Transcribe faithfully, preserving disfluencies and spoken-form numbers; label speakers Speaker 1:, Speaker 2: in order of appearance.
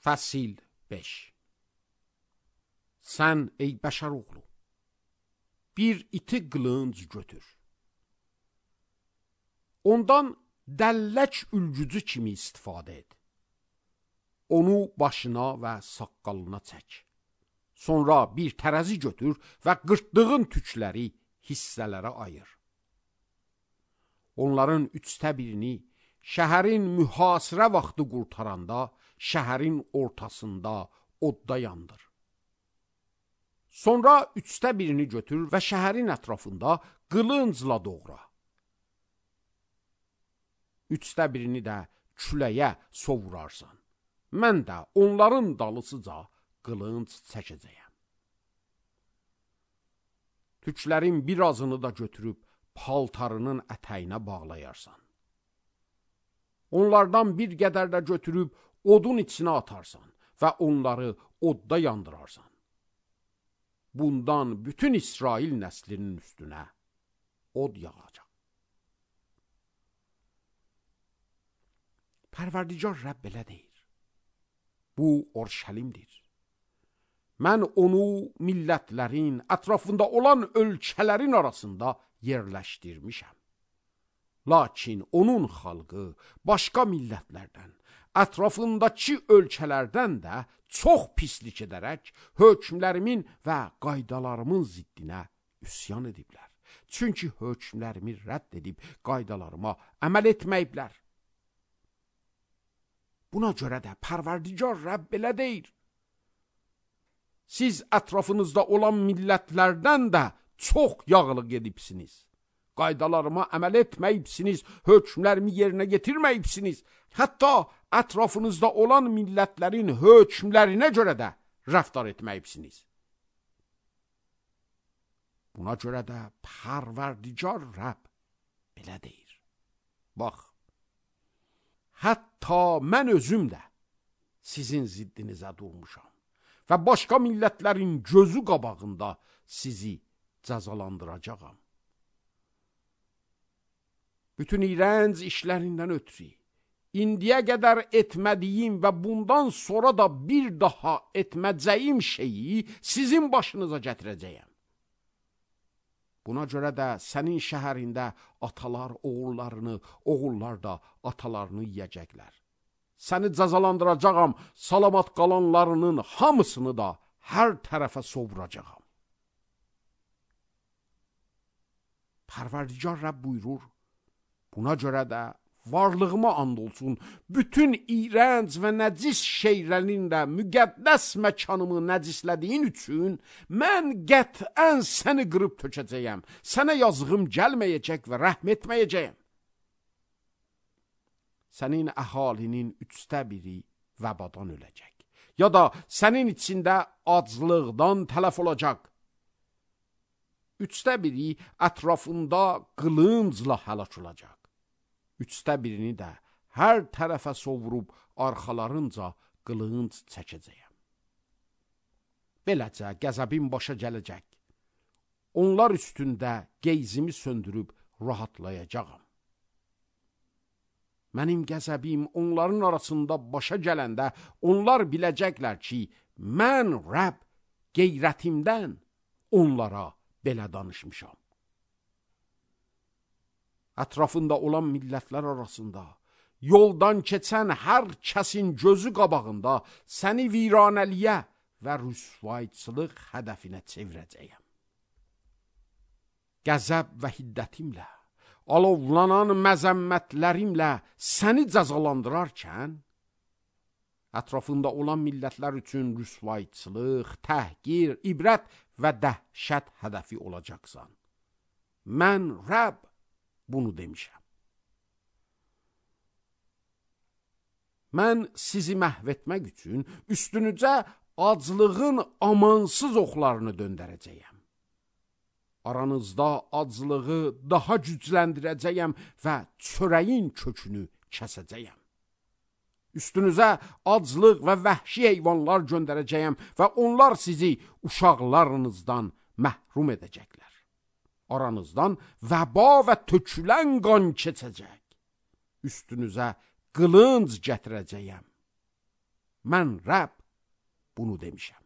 Speaker 1: Fəsil beş. Sən ey bəşər oğlu, bir iti qılınc götür. Ondan dəllək ülgücü kimi istifadə et. Onu başına və saqqalına çək. Sonra bir tərəzi götür və qırtdığın tükləri hissələrə ayır. Onların üçdə birini şəhərin mühasirə vaxtı qurtaranda şəhərin ortasında odda yandır. Sonra üçdə birini götür və şəhərin ətrafında qılıncla doğra. Üçdə birini də küləyə sovurarsan. Mən də onların dalısıca qılınc çəkəcəyəm. Tüklərin birazını da götürüb paltarının ətəyinə bağlayarsan. Onlardan bir qədər də götürüb odun içinə atarsan və onları odda yandırarsan. Bundan bütün İsrail nəslinin üstünə od yağacaq. Pərverdigar Rəbb belə deyir. Bu Orşəlimdir. Mən onu millətlərin, ətrafında olan ölkələrin arasında yerləşdirmişəm. Lakin onun xalqı başqa millətlərdən, ətrafındakı ölkələrdən də çox pislik edərək hökmlərimin və qaydalarımın ziddinə üsyan ediblər. Çünki hökmlərimi rədd edib qaydalarıma əməl etməyiblər. Buna görə də Pərverdigar Rəbb belə deyir. Siz ətrafınızda olan millətlərdən də çox yağlıq edibsiniz. Qaydalarıma əməl etməyibsiniz, hökmlərimi yerinə getirməyibsiniz. Hətta ətrafınızda olan millətlərin hökmlərinə görə də rəftar etməyibsiniz. Buna görə də Pərverdigar Rəbb belə deyir. Bax, hətta mən özüm də sizin ziddinizə durmuşam və başqa millətlərin gözü qabağında sizi cəzalandıracağam. Bütün iğrənc işlərindən ötürü, indiyə qədər etmədiyim və bundan sonra da bir daha etməyəcəyim şeyi sizin başınıza gətirəcəyəm. Buna görə də sənin şəhərində atalar oğullarını, oğullar da atalarını yiyəcəklər. Səni cəzalandıracağam, salamat qalanlarının hamısını da hər tərəfə sovuracağam. Pərverdigar Rəbb buyurur, buna görə də varlığıma and olsun, bütün iğrənc və nəcis şeylərin də müqəddəs məkanımı nəcislədiyin üçün mən qətən səni qırıb tökəcəyəm. Sənə yazığım gəlməyəcək və rəhm etməyəcəyəm. Sənin əhalinin üçdə biri vəbadan öləcək. Ya da sənin içində aclıqdan tələf olacaq. Üçdə biri ətrafında qılıncla həlak olacaq. Üçdə birini də hər tərəfə sovurub arxalarınca qılınc çəkəcəyəm. Beləcə qəzəbim başa gələcək. Onlar üstündə qeyzimi söndürüb rahatlayacağam. Mənim qəzəbim onların arasında başa gələndə onlar biləcəklər ki, mən Rəbb qeyrətimdən onlara belə danışmışam. Ətrafında olan millətlər arasında yoldan keçən hər kəsin gözü qabağında səni viranəliyə və rüsvayçılıq hədəfinə çevirəcəyəm. Qəzəb və hiddətimlə, alovlanan məzəmmətlərimlə səni cəzalandırarkən, ətrafında olan millətlər üçün rüsvayçılıq, təhqir, ibrət və dəhşət hədəfi olacaqsan. Mən Rəbb bunu demişəm. Mən sizi məhv etmək üçün üstünüzə aclığın amansız oxlarını döndərəcəyəm. Aranızda aclığı daha gücləndirəcəyəm və çörəyin kökünü kəsəcəyəm. Üstünüzə aclıq və vəhşi heyvanlar göndərəcəyəm və onlar sizi uşaqlarınızdan məhrum edəcəklər. Aranızdan vəba və tökülən qan keçəcək. Üstünüzə qılınc gətirəcəyəm. Mən Rəbb bunu demişəm.